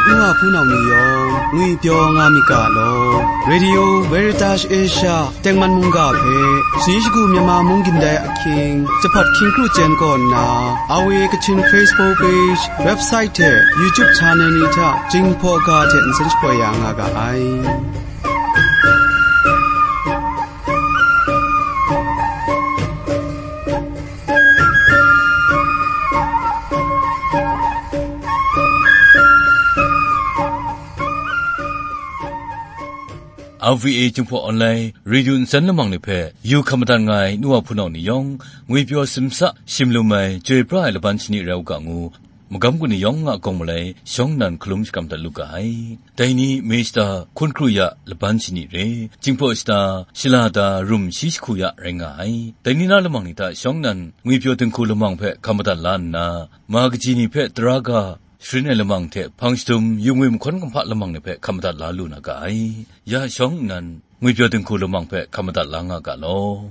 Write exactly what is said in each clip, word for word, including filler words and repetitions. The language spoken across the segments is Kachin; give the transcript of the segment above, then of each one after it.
Nwa hpunau ni yawng ngwipyaw nga myit ga law. Radio Veritas Asia tengman mungga hpe, Singyi Shagu Myanmar Mung Gindai Ahkying, Jahpat Hkying Kru Jen kaw nna, R V A Kachin Facebook page, website hte YouTube channel ni hta Jinghpaw ga hte nsen shapoi ya nga ga ai. R V A Jinghpaw Online Radio nsen lamang ni hpe yu hkam madat nga ai nu wa hpunau ni yawng, ngwipyaw simsa shim lum ai, chyoi pra ai laban shani rai u ga ngu, magam gu ni yawng a gawng malai shawng nnan hkalum shakram dat lu ga ai. Dai ni, Mister Hkun Kru Ya laban shani re, Jinghpaw shata, shala da, rum shi jahku ya rai nga ai. Dai ni na lamang ni hta shawng nnan ngwipyaw dinghku lamang hpe hkam madat la nna, ma kaji ni hpe tara ga sharin ai lamang hte hpang shadum, yu ngwi mahkawn kumhpa lamang ni hpe hkam madat la lu na ga ai. Ya shawng nnan, ngwipyaw dinghku lamang hpe hkam madat la nga ga law.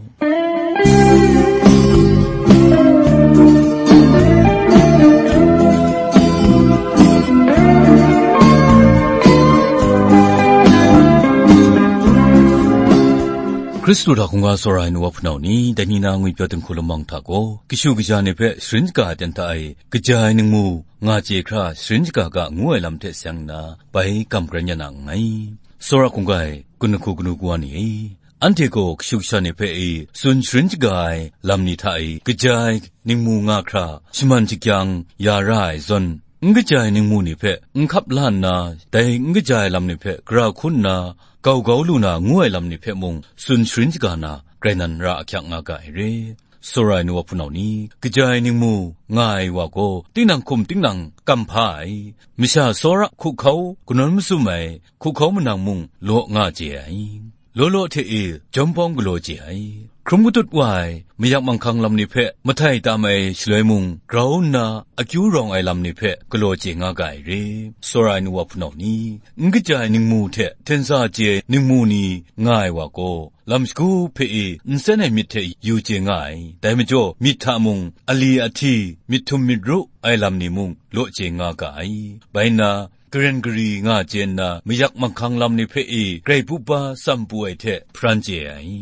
Hkristu hta hkungga tsawra ai nu wa hpunau ni, dai ni na ngwipyaw dinghku lamang hta gaw, kashu kasha ni hpe sharin shaga ai ten hta e, kaja ai ningmu nga chye hkra sharin shaga ga ngu ai lam hte seng nna, bai kam karen ya na nngai. Tsawra hkungga ai, kun lahku kanu kawa ni e, anhte gaw kashu kasha ni hpe e tsun sharin shaga ai lam ni hta e, kaja ai ningmu nga hkra shaman shakyang ya ra ai zawn, n kaja ai ningmu ni hpe n hkap la nna, dai n kaja ai lam ni hpe gara hkun nna gau gau lu na ngu ai lam ni hpe mung tsun sharin shaga na, grai nan ra ahkyak nga ga ai re. Tsawra ai nu wa hpunau ni, kaja ai ningmu nga ai wa gaw, tinang hkum tinang kam hpa ai, masha tsawra hkuhkau kanawn masum ai, hkuhkau manang mung law nga chye ai. Law law hte e jawm pawng galaw chye ai. Hkrum katut wa ai, mayak manghkang lam ni hpe mahtai tam ai shaloi mung, grau nna akyu rawng ai lam ni hpe galaw chye nga ga ai re. Tsawra ai nu wa hpunau ni, n kaja ai ningmu hte hten sa chye ai ningmu ni nga ai wa gaw, lam shagu hpe e nsen ai myit hte yu chye nga ai. Dai majaw, myit hta mung, ali ahti, myit htum myit ru ai lam ni mung law chye nga ga ai. Bai nna, garen gari nga chye nna, mayak manghkang lam ni hpe e grai pup ba tsam pu ai hte hparan chye ai.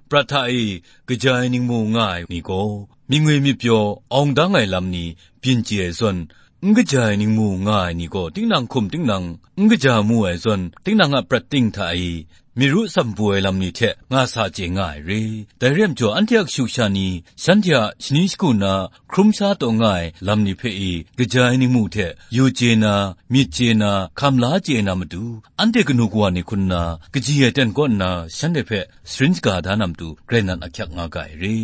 Prat hta e kaja ai ningmu nga ai ni gaw, myit ngwi myit pyaw awng dang ai lam ni byin chye ai zawn, n kaja ai ningmu nga ai ni gaw, tinang hkum tinang n kaja mu ai zawn, tinang a prat ting hta e myit ru tsam pu ai lam ni hte nga sa chye nga ai re. Dai re ai majaw, anhte a kashu kasha ni shanhte a shani shagu na hkrum sha taw nga ai lam ni hpe e, kaja ai ningmu hte yu chye na, myit chye na, hkam la chye na matu, anhte kanu kawa ni hkun nna, kaji ai ten kaw nna shanhte hpe sharin shaga da na matu, grai nan ahkyak nga ga ai re.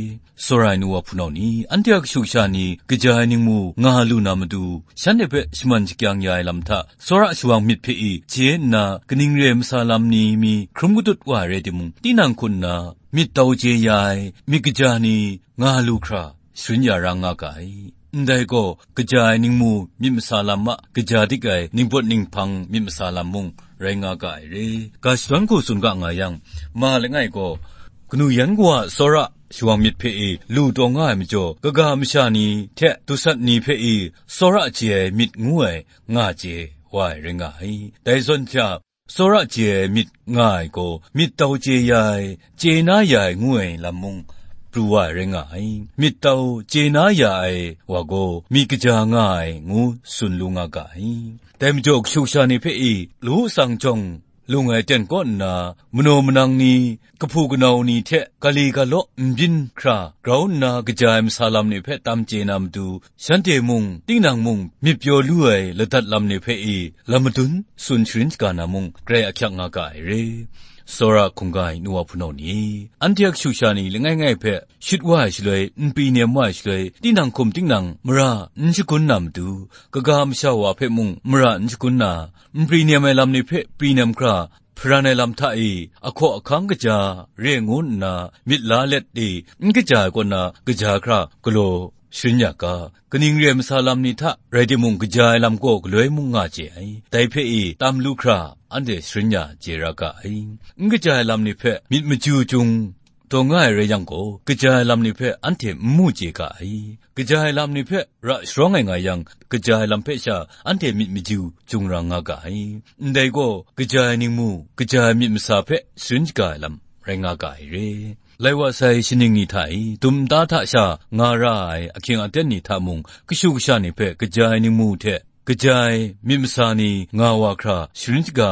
Tsawra ai nu wa hpunau ni, anhte a kashu kasha ni kaja ai ningmu nga lu na matu, shanhte hpe shaman shakyang ya ai lam hta, tsawra shawang myit hpe e chye nna, kaning re ai masa lam ni mi hkrum katut wa ai rai timung, tinang hkun nna myit tau chye ya ai myit kaja ni nga lu hkra sharin ya ra nga ga ai. Ndai gaw, kaja ai ningmu myit masa lam a kaja dik ai ningpawt ninghpang myit masa lam mung rai nga ga ai re. Ga shadawn hku tsun ga nga yang, ma langai gaw, kanu yan kawa a tsawra shawang myit hpe e lu taw nga ai majaw, kaga masha ni hte dusat ni hpe e tsawra chye ai myit ngu ai nga chye wa ai rai nga ai. Dai zawn hte a, tsawra chye ai myit nga ai gaw, myit tau chye ya ai, chye na ya ai ngu ai lam mung pru wa ai rai nga ai. Myit tau chye na ya ai wa gaw, myit kaja nga ai ngu tsun lu nga ga ai. Dai majaw, kashu kasha ni hpe e, lawu tsang jawng lung ai ten kaw nna, manaw manang ni, kahpu kanau ni hte gali galaw n byin hkra grau nna kaja ai masa lam ni hpe tam chye na matu, shanhte mung, tinang mung, myit pyaw lu ai ladat lam ni hpe e lam madun tsun sharin shaga na mung, grai ahkyak nga ga ai re. Tsawra hkungga ai nu wa hpunau ni, anhte a kashu kasha ni langai ngai hpe shut wa ai shaloi, n pri nem wa ai shaloi, tinang hkum tinang mara n shagun na matu, kaga masha wa hpe mung mara n shagun na, n pri nem ai lam ni hpe pri nem hkra, hparan ai lam hta e, ahkaw ahkang kaja re ngu nna myit la let e, n kaja ai kaw na kaja hkra galaw sharin ya ga, kaning re ai masa lam ni hta rai timung, kaja ai lam gaw galoi mung nga chye ai, dai hpe e tam lu hkra anhte sharin ya chye ra ga ai. N kaja ai lam ni hpe myit maju jung taw nga ai rai yang gaw, kaja ai lam ni hpe anhte n mu chye ga ai. Kaja ai lam ni hpe ra sharawng ai nga yang, kaja ai lam hpe sha anhte myit maju jungrang nga ga ai. Ndai gaw, kaja ai ningmu, kaja ai myit masa hpe sharin shaga ai lam rai nga ga ai re. Lai wa sai shaning ni hta e, dum nta hta sha nga ra ai ahkying aten ni hta mung, kashu kasha ni hpe kaja ai ningmu hte kaja ai myit masa ni nga wa hkra sharin shaga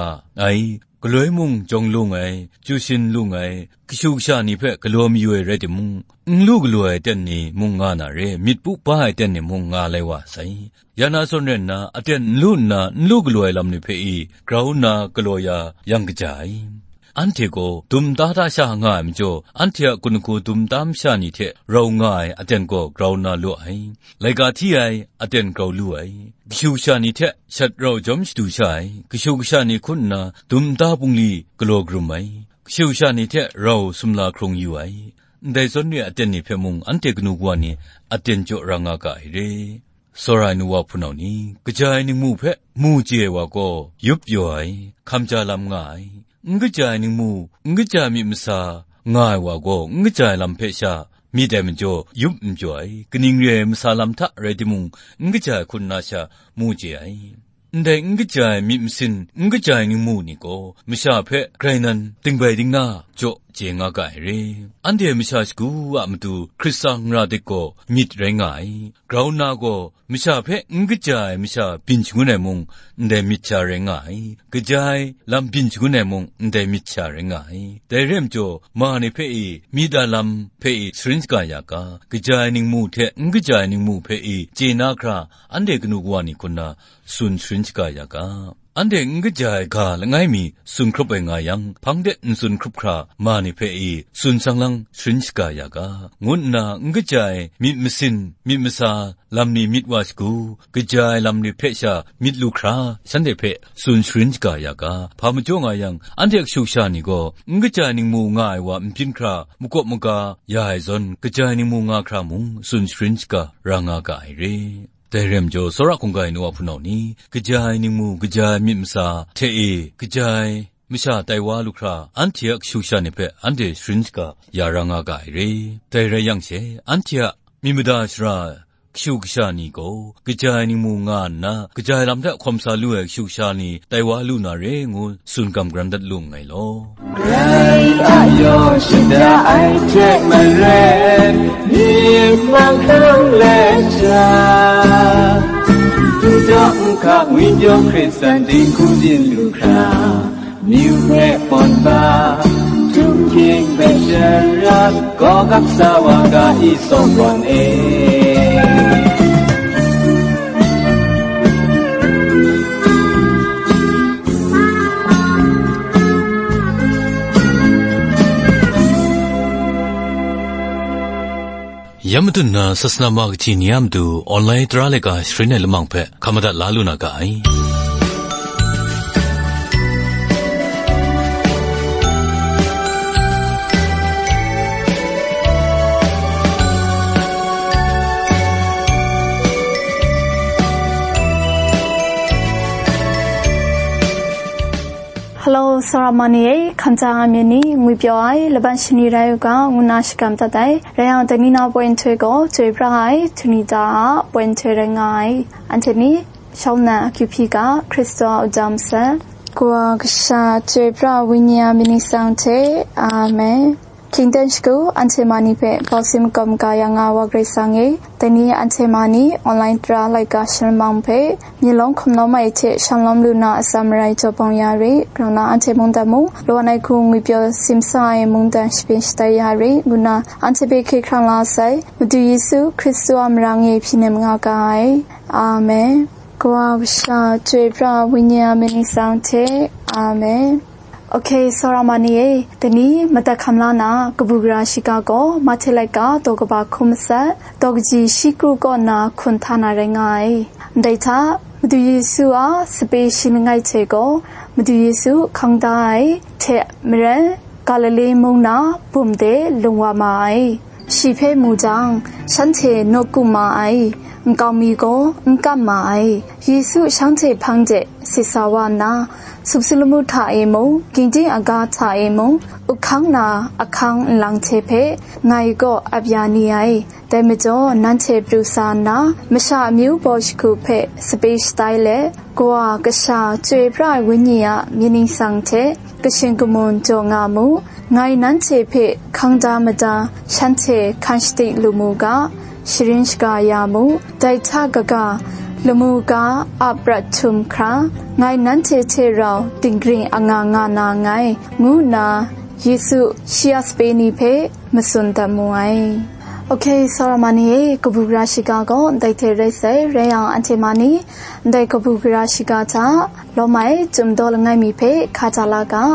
ai, galoi mung jawng lung ai, chyu shin lung ai, kashu kasha ni hpe galaw mayu ai rai timung, n lu galaw ai aten ni mung nga na re, myit pu pa ai aten ni mung nga lai wa sai. Ya na zawn rai nna, aten n lu nna n lu galaw ai lam ni hpe e grau nna galaw ya yang kaja ai. Anhte gaw dum nta hta sha nga ai majaw, anhte a gun hku dum nta masha ni hte rau nga ai aten gaw grau nna lu ai. Laika hti ai aten grau lu ai. Kashu kasha ni hte shat rau jawm shadu sha ai. Kashu kasha ni hkun nna dum nta bungli galaw karum ai. Kashu kasha ni hte rau sumla hkrung yu ai. Ndai zawn re ai aten ni hpe mung anhte kanu kawa ni aten jaw ra nga ga ai re. Tsawra ai nu wa hpunau ni, kaja ai ningmu hpe mu chye ai wa gaw yup pyaw ai, hkam ja lam nga ai. N kaja ai ningmu, n kaja ai myit masa nga ai wa gaw, n kaja ai lam hpe sha myit ai majaw, yup n pyaw ai. Kaning re ai masa lam hta rai timung, n kaja ai hkun na sha mu chye ai. Ndai n kaja ai myit masin, n kaja ai ningmu ni gaw, masha hpe grai nan dingbai dingna jaw chye nga ga ai re. Anhte masha shagu a matu Hkristan ra dik gaw myit rai nga ai. Grau nna gaw, masha hpe n kaja ai masha byin shangun ai mung, ndai myit sha rai nga ai. Kaja ai lam byin shangun ai mung, ndai myit sha rai nga ai. Dai re ai majaw, ma ni hpe e, myit a lam hpe e sharin shaga ya ga, kaja ai ningmu hte n kaja ai ningmu hpe e chye na hkra, anhte kanu kawa ni hkun na tsun sharin shaga ya ga. Anhte n kaja ai ga langai mi tsun hkrup ai nga yang, hpang de n tsun hkrup hkra ma ni hpe e tsun sang lang sharin shaga ya ga, ngu nna n kaja ai myit masin, myit masa, lam ni myit wa shagu, kaja ai lam ni hpe sha myit lu hkra, shanhte hpe tsun sharin shaga ya ga. Hpa majaw nga yang, anhte kashu kasha ni gaw, n kaja ai ningmu nga ai wa n byin hkra, makawp maga ya ai zawn, kaja ai ningmu nga hkra mung tsun sharin shaga ra nga ga ai re. Dai re ai majaw, tsawra hkungga ai nu wa hpunau ni, kaja ai ningmu, kaja ai myit masa hte e, kaja ai masha tai wa lu hkra, anhte a kashu kasha ni hpe anhte sharin shaga ya ra nga ga ai re. Dai rai yang she, anhte a myit mada shara kashu kasha ni gaw, kaja ai ningmu nga nna, kaja ai lam hta hkawm sa lu ai kashu kasha ni tai wa lu na re ngu tsun gam garan dat lu nngai law. Grai a yaw shada ai hte maren, myit manghkang let sha, dudaw nhka ngwipyaw Hkristan dinghku byin lu hkra, myu hpe pawn ba, htum hkying hpe sharat, gaw gap sa wa ga i tsawm gawn e. Ya matut na sasana ma kahti ni a matu online tara laika sharin ai lamang hpe hkam madat la lu na ga ai. Hello, Saramani e, hkam hta nga myit ni, ngwipyaw ai, laban shani rai u ga, ngu nna shakram dat ai. Rai yang, dai ni na poi nhtoi gaw, chyoi pra ai, Tunita a poi nhtoi rai nga ai. Anhte ni, shawng na akyu hpyi ga, Hkristu a uja masat. Kawa kasha, chyoi pra ai Wenyi a myit ni sang hte. Amen. Hkying dan shagu, anhte ma ni hpe bau sin makawp maga ya nga ai wa Karai Kasang e, dai ni anhte ma ni online tara laika sharin lamang hpe, myi lawm hkum lawm ai hte shan lawm lu na atsam marai jaw bawng ya re, grau na anhte mungdan mung, lawan ai hku ngwipyaw simsa ai mungdan shapyen shatai ya re, ngu nna anhte hpe hkye hkrang la sai, Madu Yesu Hkristu a marang e hpyi nem nga ga ai. Amen. Kawa kasha, chyoi pra ai Wenyi a myit ni sang hte. Amen. Ok, Saramani e, dai ni madat hkam la na kabu gara shiga gaw, Mahte laika daw kaba hkun matsat, daw kaji shi kru kaw nna hkun hta na rai nga ai. Ndai hta, Madu Yesu a sape shi langai hte gaw, Madu Yesu hkang da ai hte maren, Galile mung na bum de lung wa ma ai. Shi hpe mu jang, shanhte nawku ma ai, nkau mi gaw n kam ma ai. Yesu shanhte hpang de sit sa wa nna, Sup su lamu hta e mung, gingdin aga hta e mung, up hkang na ahkang nlang hte hpe ngai kaw ap ya ni ai. Dai majaw, nanhte pru sa nna, masha amyu baw shagu hpe sape shatai let, Kawa Kasha Chyoi Pra Ai Wenyi a myit ningsang hte kashin kamun jaw nga mu. Ngai nanhte hpe hkang da mada, shanhte hkan shadik lu mu ga, sharin shaga ya mu. Dai hta kaga, lamu ga a prat htum hkra, ngai nanhte hte rau dinggring anga nga na nngai, ngu nna Yesu shi a sape ni hpe matsun dat mu ai. Ok, tsawra ma ni e, kabu gara shiga gaw ndai hte rai sai, rai yang anhte ma ni, ndai kabu gara shiga hta lawm ai, chyum daw langai mi hpe hka ja la ga.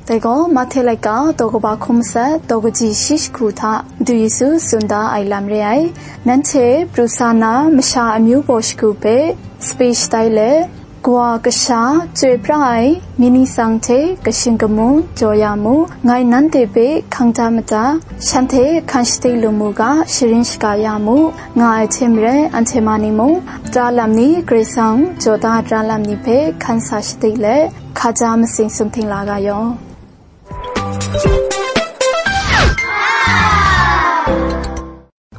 Dai gaw Mahte laika daw kaba hkun matsat, daw kaji shi shagu hta Madu Yesu tsun da ai lam re ai. Nanhte pru sa na masha amyu baw shagu hpe sape shatai let, Kawa Kasha Chyoi Pra Ai myit ningsang hte kashin kamun jaw ya mu. Ngai nanhte hpe hkang da mada, shanhte hkan shadik lu mu ga, sharin shaga ya mu, nga ai hte maren, anhte ma ni mung, tara lam ni, Karai Kasang jaw da ai tara lam ni hpe hkan sa shadik let, hka ja matsing sumhting la ga yaw.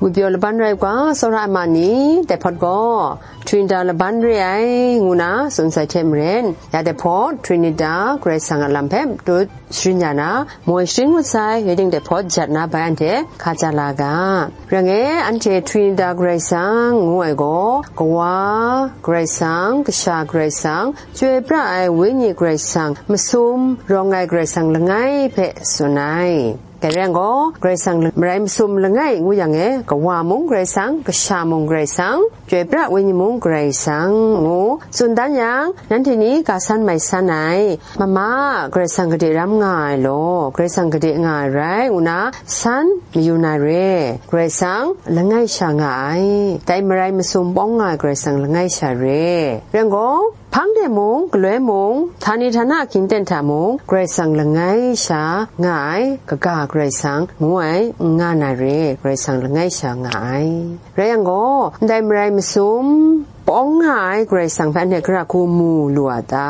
Ngwi pyaw laban rai u ga, tsawra ai ma ni, dai hpawt gaw Trinita laban re ai, ngu na tsun sai hte maren, ya dai hpawt Trinita Karai Kasang a lam hpe matut sharin ya na, moi sharin ngut sai, rai ting dai hpawt jat na bai anhte hka ja la ga. Rai ngai, anhte Trinita Karai Kasang ngu ai gaw, Kawa Karai Kasang, Kasha Karai Kasang, Chyoi Pra Ai Wenyi Karai Kasang, masum rawng ai Karai Kasang langai hpe tsun ai. Dai rai yang gaw, Karai Kasang marai masum langai ngu yang e, Kawa mung Karai Kasang, Kasha mung Karai Kasang, Chyoi Pra Wenyi mung Karai Kasang ngu tsun dan yang, nanhte ni ga san mai san ai, mama, Karai Kasang gade ram nga ai law, Karai Kasang gade nga ai rai, ngu na san mayu na re, Karai Kasang langai sha nga ai, dai marai masum bawng nga ai Karai Kasang langai sha re. Rai yang gaw, hpang de mung, galoi mung, htani htana hkying ten hta mung, Karai Kasang langai sha nga ai, kaga Karai Kasang ngu ai, n nga na re, Karai Kasang langai sha nga ai. Rai yang gaw, ndai marai masum bawng nga ai Karai Kasang hpe anhte gara hku mu lu a ta?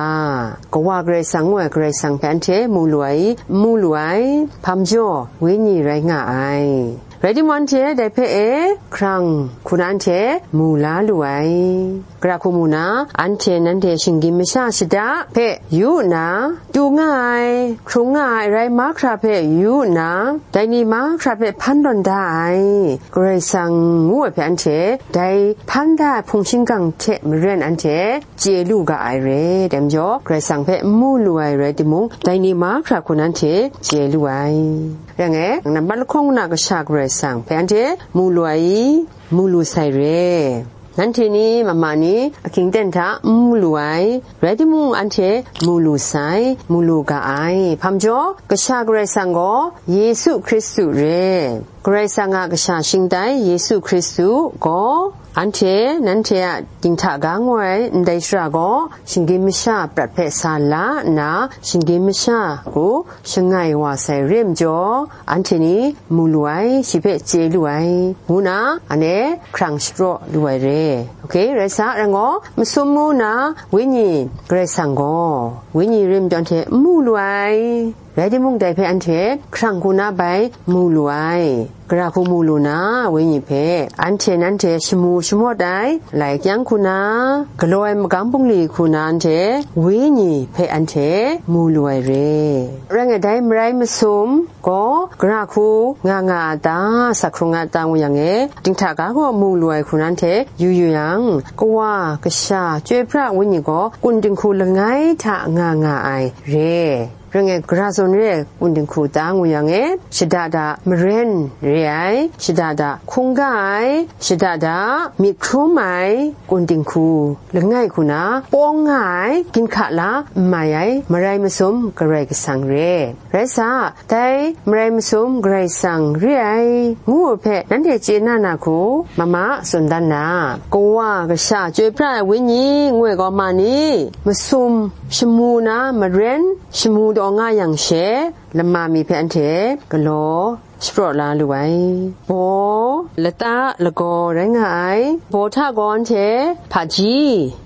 Kawa Karai Kasang ngu ai Karai Kasang hpe anhte mu lu ai, n mu lu ai, hpa majaw, Wenyi rai nga ai. Rai timung, anhte dai hpe e hkrang hku na anhte mu la lu ai. Gara hku mu na, anhte nanhte shinggyim masha shada hpe yu nna, tu nga ai, hkrung nga ai arai mahkra hpe yu nna, dai ni mahkra hpe hpan tawn da ai, Karai Kasang ngu ai hpe anhte dai hpan da ai hpung shingkang hte maren anhte chye lu ga ai re. Dai majaw, Karai Kasang hpe n mu lu ai rai timung, dai ni mahkra hku na anhte chye lu ai. Rai ngai, nambat lahkawng na Kasha Karai Kasang hpe anhte mu lu ai i, mu lu sai re. Nanhte ni, mama ni, ahkying ten hta n mu lu ai, rai timung, anhte mu lu sai, mu lu ga ai. Hpa majaw, Kasha Karai Kasang gaw Yesu Hkristu re. Karai Kasang a Kasha shingtai Yesu Hkristu gaw, anhte, nanhte a dinghta ga ngoi ai ndai shara gaw, shinggyim masha prat hpe sa la nna, shinggyim masha hku shangai wa sai re majaw, anhte ni mu lu ai, shi hpe chye lu ai, ngu na, anhte hkrang shapraw lu ai re. Ok, rai sa, rai ngai, masum mu na Wenyi Karai Kasang gaw, Wenyi re majaw anhte n mu lu ai, rai timung, dai hpe anhte hkrang hku na bai mu lu ai. Gara hku mu lu na, Wenyi hpe anhte nanhte shamu shamawt ai, lai kyang hku na, galaw ai magam bungli hku na anhte Wenyi hpe anhte mu lu ai re. Rai ngai, dai marai masum gaw gara hku nga nga a ta, sa hkrung a ta ngu yang e, dinghta ga gaw mu lu ai hku na anhte yu yu yang, Kawa, Kasha, Chyoi Pra Wenyi gaw kun dinghku langai hta nga nga ai re. Rai ngai, gara zawn re ai kun dinghku ta ngu yang e, shada da maren re ai, shada da hkungga ai, shada da myit hkrum ai kun dinghku langai hku na, pawng nga ai, ginhka la n mai ai, marai masum Karai Kasang re. Rai sa, dai marai masum Karai Kasang re ai, ngu ai hpe nanhte chye na na hku, mama tsun dan na, Kawa, Kasha, Chyoi Pra Ai Wenyi ngu ai gaw ma ni? Masum shamu na maren shamu taw nga yang she, lama mi hpe anhte galaw shapraw la lu ai. Baw, lata, lagaw rai nga ai. Baw hta gaw anhte hpaji,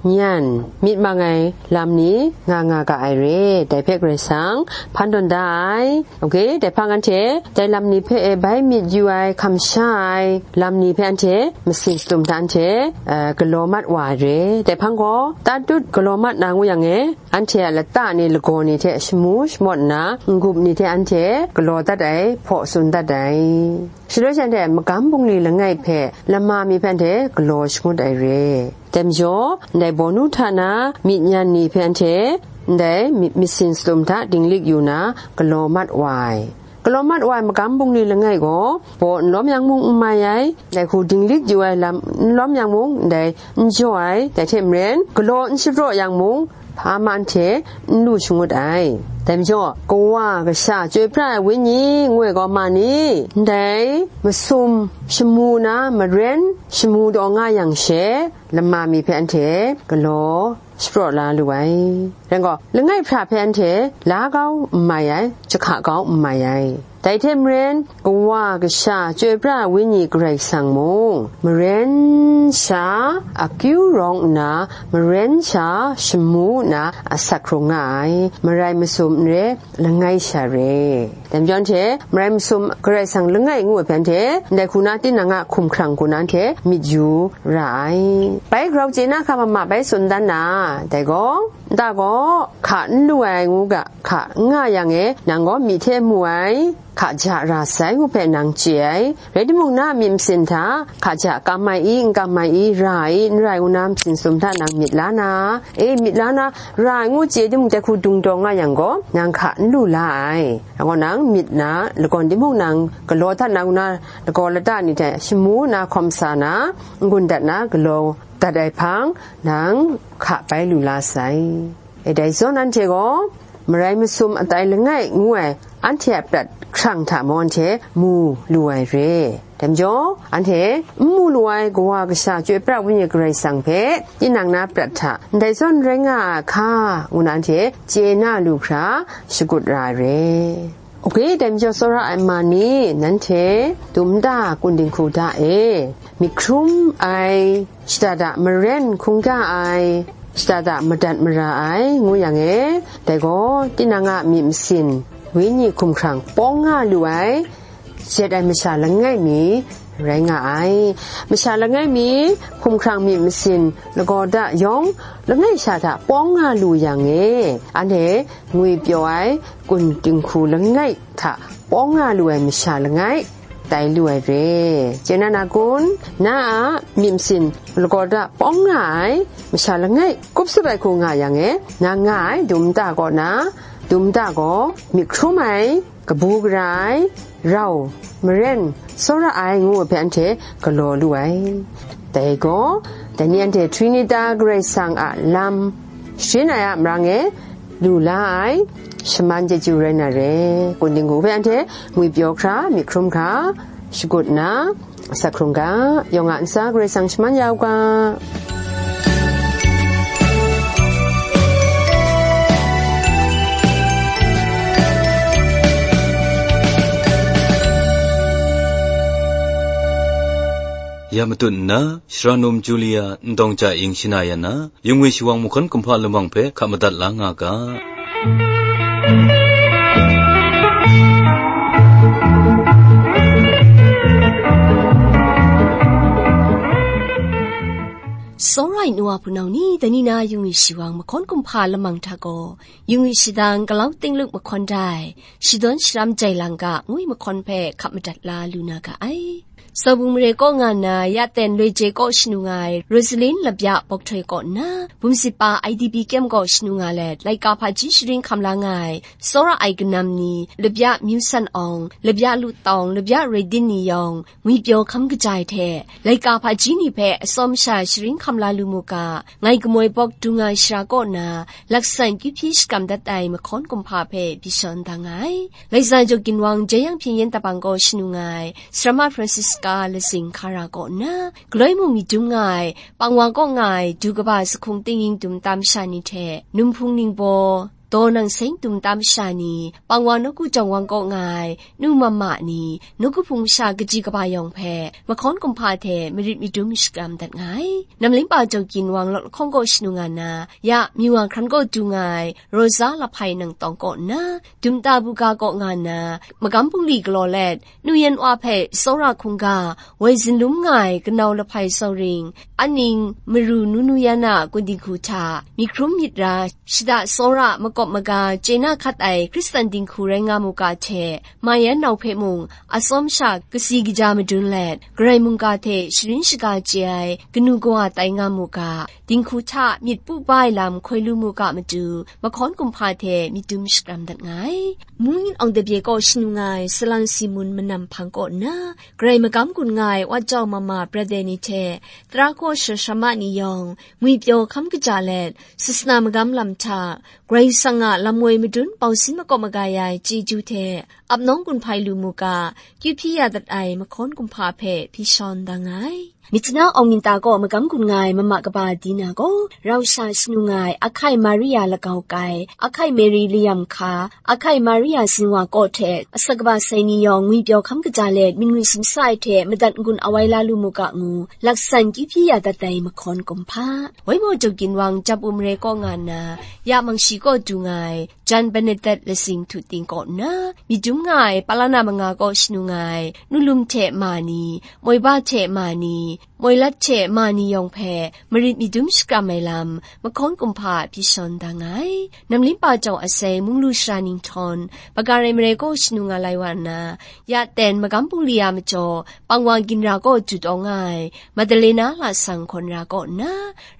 nyan, myit mang ai lam ni nga nga ga ai re. Dai hpe Karai Kasang hpan tawn da ai. Oke, dai hpang anhte dai lam ni hpe e bai myit yu ai, hkamsha ai lam ni hpe anhte masin shatum hta anhte, eh, galaw mat wa ai re. Dai hpang gaw, tatut galaw mat na ngu yang e, anhte a lata ni lagaw ni hte shamu shamawt nna, n-gup ni hte anhte galaw dat ai hpaw tsun dat ai. Shaloi shanhte magam bungli langai hpe lama mi hpe anhte galaw shangut ai re. Dai majaw, ndai bawnu hta na myit nyan ni hpe anhte ndai myit masin shatum hta dinglik yu na galaw mat wa ai. Galaw mat wa ai magam bungli langai gaw, baw n lawm yang mung n mai ai, dai hku dinglik yu ai lam n lawm yang mung, ndai n jaw ai, dai hte maren, galaw n shapraw yang mung, hpa ma hte n lu shangut ai. Dai majaw, Kawa, Kasha, Chyoi Pra ai Wenyi ngu ai gaw ma ni? Ndai masum shamu na maren shamu taw nga yang she, lama mi hpe anhte galaw shapraw la lu ai. Rai gaw, langai hpra hpe anhte la kau n mai ai, jahka kau n mai ai. Dai hte maren, Kawa, Kasha, Chyoi Pra ai Wenyi Karai Kasang mung, maren sha akyu rawng nna, maren sha shamu nna asak hkrung nga ai, marai masum n re, langai sha re. Dai majaw anhte, marai masum Karai Kasang langai ngu ai hpe anhte, ndai hku na tinang a hkumhkrang hku na anhte myit yu ra ai. Bai grau chye na hkam a ma bai tsun dan na, dai gaw, nta gaw, hka n lu ai ngu ga, hka n nga yang e, nang gaw myi hte mu ai, hka ja ra sai ngu hpe nang chye ai. Rai timung, na a myit masin hta, hka ja kam ai i, n kam ai i, ra ai i, n rai ngu na, masin sum hta nang myit la na, e, myit la na, ra ai ngu chye timung, dai hku dung taw nga yang gaw, nang hka n lu la ai. Nang gaw nang myit na, lagawn timung nang galaw dat na, ngu na, lagaw lata ni hte shamu na, hkawm sa na, n-gun dat na, galaw dat ai hpang, nang hka bai lu la sai. E, dai zawn anhte gaw, marai masum atai langai ngu ai, anhte a prat hkrang hta mung anhte mu lu ai re. Dai majaw, anhte n mu lu ai Kawa Kasha Chyoi Pra Wenyi Karai Kasang hpe, tinang na prat hta ndai zawn rai nga a hka, ngu na anhte chye na lu hkra shagut ra ai re. Oke, dai majaw tsawra ai ma ni, nanhte dum nta kun dinghku da e, myit hkrum ai, shada da maren hkungga ai, shada da madat mara ai, ngu yang e, dai gaw tinang a myit masin, wenyi hkumhkrang pawng nga lu ai, jet ai masha langai mi rai nga ai. Masha langai mi hkumhkrang myit masin lagaw da yawng, langai sha hta pawng nga lu yang e, anhte ngwi pyaw ai kun dinghku langai hta pawng nga lu ai masha langai, tai lu ai re. Chye na na kun? Na a myit masin lagaw da pawng nga ai masha langai, kup sut ai hku nga yang e, nang nga ai dum nta kaw na, dum nta gaw myit hkrum ai, kabu gara ai, rau, maren, tsawra ai ngu ai hpe anhte galaw lu ai. Dai gaw, dai ni anhte Trinita Karai Kasang a lam sharin ai a marang e lu la ai, shaman chyeju rai na re, kun dinghku hpe anhte ngwi pyaw hkra, myit hkrum hkra, shagut nna, asak hkrung ga, yawng a ntsa Karai Kasang shaman ya u ga. Ya matut nna, Shara Num Julia Ndawng Ja Ing shana ya na, Yungwi Shawang mahkawn kumhpa lamang hpe hka madat la nga ga. Tsawra ai nu wa hpunau ni, dai ni na Yungwi Shawang mahkawn kumhpa lamang hta gaw, Yungwi Shadang Galau Tingluk mahkawn dai, Shadawn Sharam Jai Lang Ga ngu ai mahkawn hpe hka madat la lu na ga ai. Sawbung mare kaw nga nna, ya ten loi je kaw shanu nga ai, Rosalin Labya Bawk Htoi kaw nna, Bumsit Pa I D P kyem kaw shanu nga let, laika hpaji sharin hkam la nga ai, tsawra ai kanam ni, Labya Myu San Awng, Labya Lu Tawng, Labya Roi Din ni yawng, ngwi pyaw hkam kaja ai hte, laika hpaji ni hpe atsawm sha sharin hkam la lu mu ga, ngai Kamoi Bawk Dung Ai Shara kaw na, laksan kyu hpyi shakam dat ai mahkawn kumhpa hpe byi shawn da nga ai. Laika Jaw Ginwang Jeyang Hpyen Yen Dabang kaw shanu nga ai, Sarama Francisca Lazing Hkara kaw nna, galoi mung myit dum nga ai, Pangwa kaw nga ai, du kaba sahkung tinging dum tam sha ni hte, Numhpung Ningbaw, daw nang seng dum tam sha ni, pang wa nawku jawng wang kaw nga ai, nu mama ni, nawku hpung masha kaji kaba yawng hpe, mahkawn kumhpa hte marit madum shakram dat nga ai. Namlingpa Jawgyin Wang lawt lahkawng kaw shanu nga na, ya, Myiwa hkran kaw du nga ai, Rosa Lahpai nang tawng kaw nna, Dumta Buga kaw nga na, magam bungli galaw let, Nu Yan Wa hpe tsawra hkungga, woi zinlum nga ai kanau lahpai tsawring, aning maru nu nu yan a kun dinghku hta, myit hkrum myit ra, shada tsawra makawp maga chye na hkat ai Hkristan dinghku rai nga mu ga hte, ma yan nau hpe mung, atsawm sha kasi kaja madun let, Karai mungga hte sharin shaga chye ai kanu kawa tai nga mu ga, dinghku hta myit pu ba ai lam hkoi lu mu ga matu, mahkawn kumhpa hte myit dum shakram dat nga ai. Mungin Awng Tabye kaw shanu nga ai Salang Simun manam hpang kaw nna, Karai magam gun nga ai Wat Jau Mama Brother ni hte, tara hkaw shara sharama ni yawng, ngwipyaw hkam kaja let, sasana magam lam hta, Karai Kasang a lam woi madun bau sin makawp maga ya ai chyeju hte, ap nawng gun hpai lu mu ga, kyu hpyi ya dat ai mahkawn kumhpa hpe hpyi shawn da nga ai. Myitkyina Awng Minta kaw magam gun nga ai mama kaba Dina gaw, rau sha shanu nga ai Ahkai Maria Lagau Kai, Ahkai Mary Layam Hka, Ahkai Maria Zinwa kaw hte asak kaba sai ni yawng ngwipyaw hkam kaja let, myit ngwi sumsa ai hte madat n-gun awai la lu mu ga ngu, laksan kyu hpyi ya dat ai mahkawn kumhpa. Waimaw Jawgyin Wang Jap U Mare kaw nga nna, ya Mangshi kaw du nga ai, Jan Bernadette Lasing Htu Ting kaw nna, myit dum nga ai, palana manga kaw shanu nga ai, nu lum hte ma ni, moi ba hte ma ni, moi lat hte ma ni yawng hpe, marit myit dum shakram ai lam, mahkawn kumhpa hpyi shawn da nga ai. Namlin pa jau asai, munglu sara ninghtawn, Bagarai Mare kaw shanu nga lai wa nna, ya ten magam bungli a majaw, pang wa ginra kaw jut awng nga ai, Madalena lasang hkawn ra kaw nna,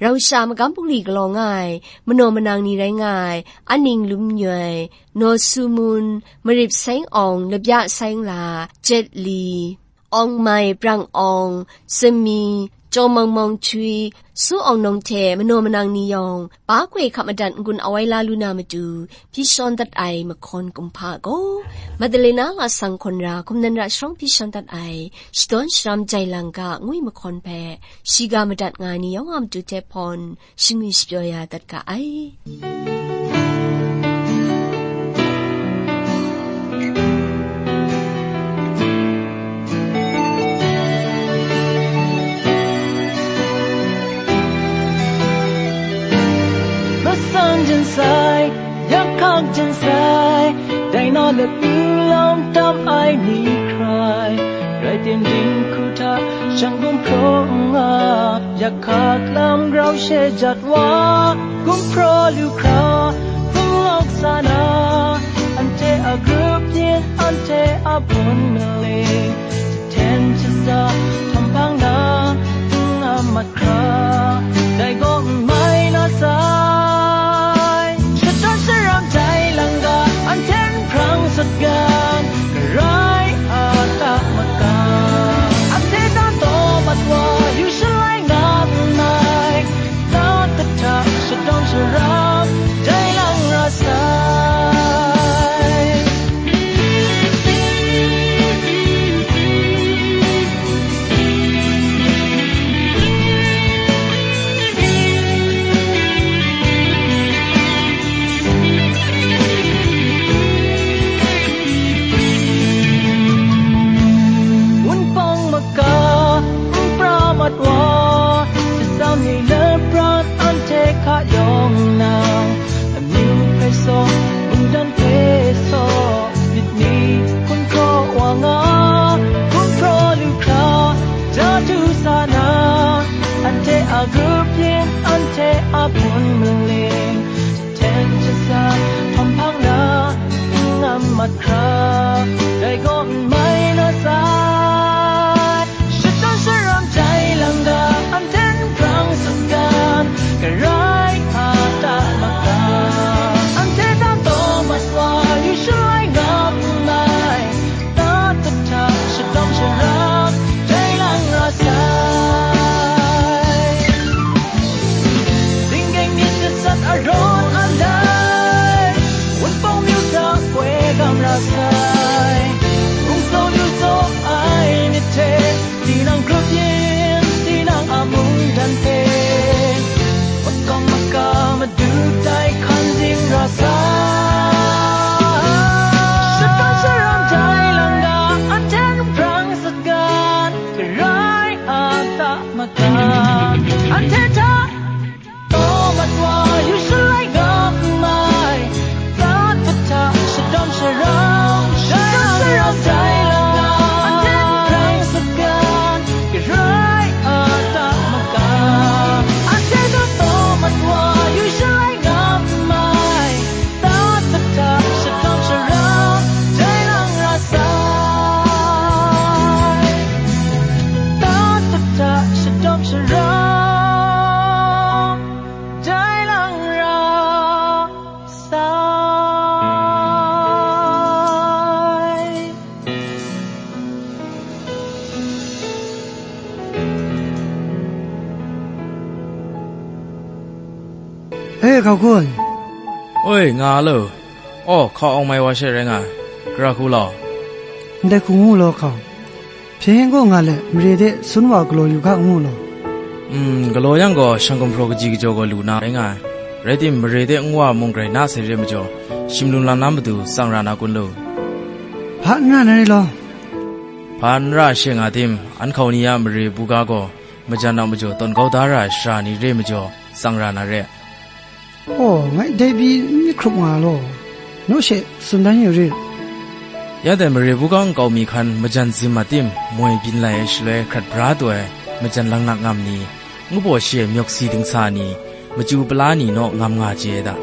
rau sha magam bungli galaw nga ai, manaw manang ni rai nga ai, Aning Lum Nyoi, Naw Su Mun, Marip Seng Awng, Labya Seng La, Jet Li, Awng Mai, Brang Awng, Sami, Jaw Mawng Mawng Chui, Su Awng Nawng hte manaw manang ni yawng, ba hkoi hkap madat n-gun awai la lu na matu, hpyi shawn dat ai mahkawn kumhpa gaw, Madalena lasang hkawn ra, hkum nan ra sharawng hpyi shawn dat ai, shadawn sharam jai lang ga ngwi mahkawn hpe, shiga madat nga ai ni yawng a matu hte hpawn, shingwi shapyaw ya dat ga ai. Masan jen sai, yakhang jen sai, dai na latu lawng tam ai ni hkrai, rai tim dinghku hta shang gumhpraw n nga, yakhak lam grau she jat wa, gumhpraw lu hkra, hpung lawk sa na, anhte a grup yin, anhte a bun maling, jahten jahsa, htampang na, n-, a mat hkra, dai gaw n mai na sai. Shadawn sharam jai lang ga, anhte n hprang sat gan, Karai a ta maka. Anhte ta taw mat wa, yu shalai nga nngai, ta kata shadawn sharam jai lang ra sai. E, hkau kun. Oi, nga lo. Aw, hkau awng mai wa she rai nga ai. Gara hku law. Ndai hku ngu law hkau. Hpyen gaw nga let, mare de sun wa galaw yu ga ngu law. Mm, galaw yang gaw, shang gumhpraw kaji kajaw gaw lu na rai nga ai. Rai tim, mare de nwa mung grai na sai re majaw, shim lum lam na matu tsang ra na kun lu. Hpa n ra na re law. Hpa n ra she nga tim, an hkau ni a mare buga gaw, majan a majaw tawn kau da ra ai sara ni re majaw, tsang ra na re. Aw, ngai dai pyi n myit hkrup nga law, naw she tsun dan yu rit. Ya dai mare buga nkau mi hkan majan zim a tim, moi byin lai ai shaloi hkrat bra taw ai majan laknak ngam ni, ngu baw shi ai myawk si dingsa ni, machyu pala ni naw ngam nga chye ai da.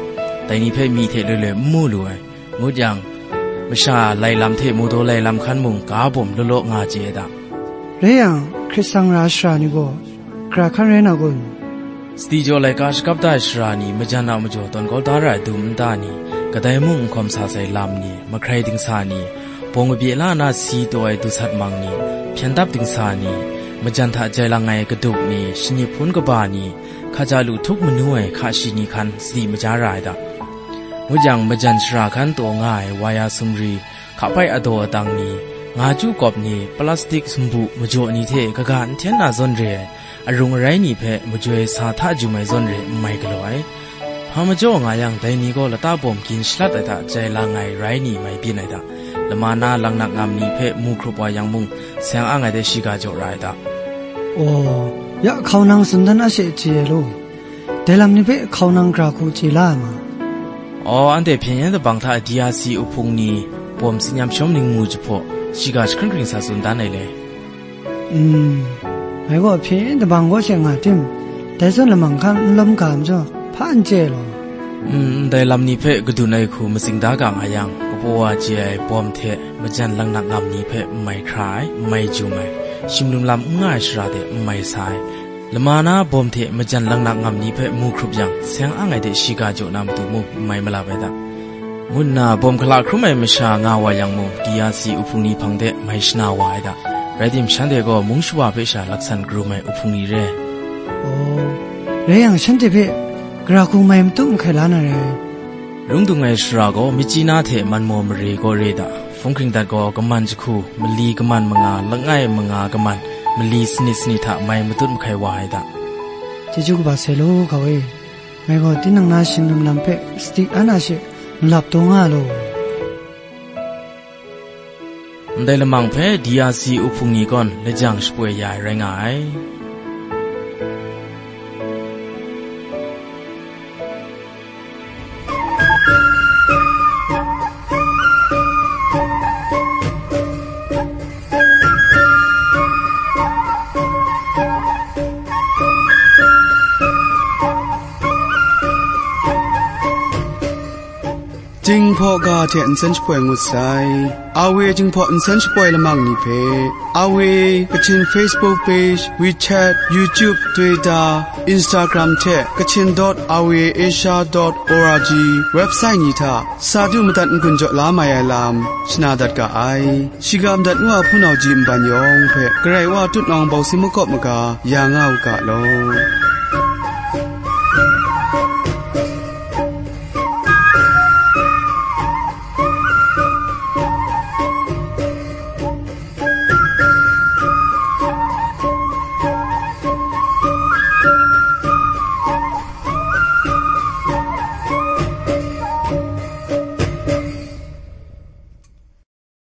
Dai ni hpe myi hte loi loi n mu lu ai. Ngut yang, masha lai lam hte mawdaw lai lam hkan mung ga bawm law law nga chye ai da. Rai yang, hkrit tsang ra ai sara ni gaw, gara hkan rai na kun? Sadi jaw laika shakap da ai sara ni, majan a majaw tawn kau da ra ai dum nta ni, kadai mung n hkawm sa sai lam ni, mahkrai dingsa ni, bawng kabye la na si taw ai dusat mang ni, hpyen dap dingsa ni, majan hta jai lang ai kaduk ni, shani hpun kaba ni, hkaja lu htup manu ai hka shi ni hkan sadi maja ra ai da. Ngut yang, majan sara hkan taw nga ai waya sumri, hkapai adaw atang ni, nga chyu kawp ni, plastik sumbu majaw ni hte kaga n hten na zawn re ai, arung arai ni hpe majoi sa hta jum ai zawn re n mai galaw ai. Hpa majaw nga yang, dai ni gaw lata bawm gin shalat ai hta jai lang ai rai ni mai byin ai da. Lama na laknak ngam ni hpe mu hkrup wa yang mung, seng ang ai de shiga jaw ra ai da. Aw, ya hkau nang tsun dan a she chye ai law. Dai lam ni hpe hkau nang gara hku chye la ai ma? Aw, anhte hpyen yen dabang hta D R C uhpung ni bawm tsin yam shawm ning mu jahpaw, shiga jahkring hkring sa tsun dan ai le. Mm, ngai gaw hpyen yen dabang gaw she nga tim, dai zawn lamang hkan n lawm ga majaw, hpa n chye ai law. Mm, ndai lam ni hpe kadun ai hku matsing da ga nga yang, kabaw wa chye ai bawm hte majan laknak ngam ni hpe n mai hkra ai, n mai jum ai, shim lum lam n nga ai shara de n mai sa ai, lama na bawm hte majan laknak ngam ni hpe mu hkrup yang, seng ang ai de shiga jaw na matu mung n mai malap ai da, ngu nna bawm hkala hkrum ai masha nga wa yang mung, D R C uhpung ni hpang de mai shana wa ai da. Rai tim, shanhte gaw mung shawa hpe sha laksan karum ai uhpung ni re. Aw, rai yang, shanhte hpe gara hku mai matu mahkai la na rai. Rung dung ai sara gaw, Myitkyina hte Manmaw mare gaw re da. Hpung hkring dat gaw, kaman jahku, mali kaman manga, langai manga kaman, mali sanit sanit hta mai matut mahkai wa ai da. Chyeju kaba sai law, hkau e. Ngai gaw tinang na shim lum lam hpe sadi an a she nlap taw nga law. Ndai lamang hpe D R C uhpung ni gaw lajang shapoi ya ai rai nga ai. Jinghpaw ga hte nsen shapoi ngut sai. A W Jinghpaw nsen shapoi lamang ni hpe, A W Kachin Facebook page, WeChat, YouTube, Twitter, Instagram hte Kachin dot R V A Asia dot O R G website ni hta sa du madat n-gun jaw la mai ai lam shana dat ga ai. Shiga madat ngu a hpunau ji nban yawng hpe Karai Wa tutnawng bawng si makawp maga ya nga u ga law.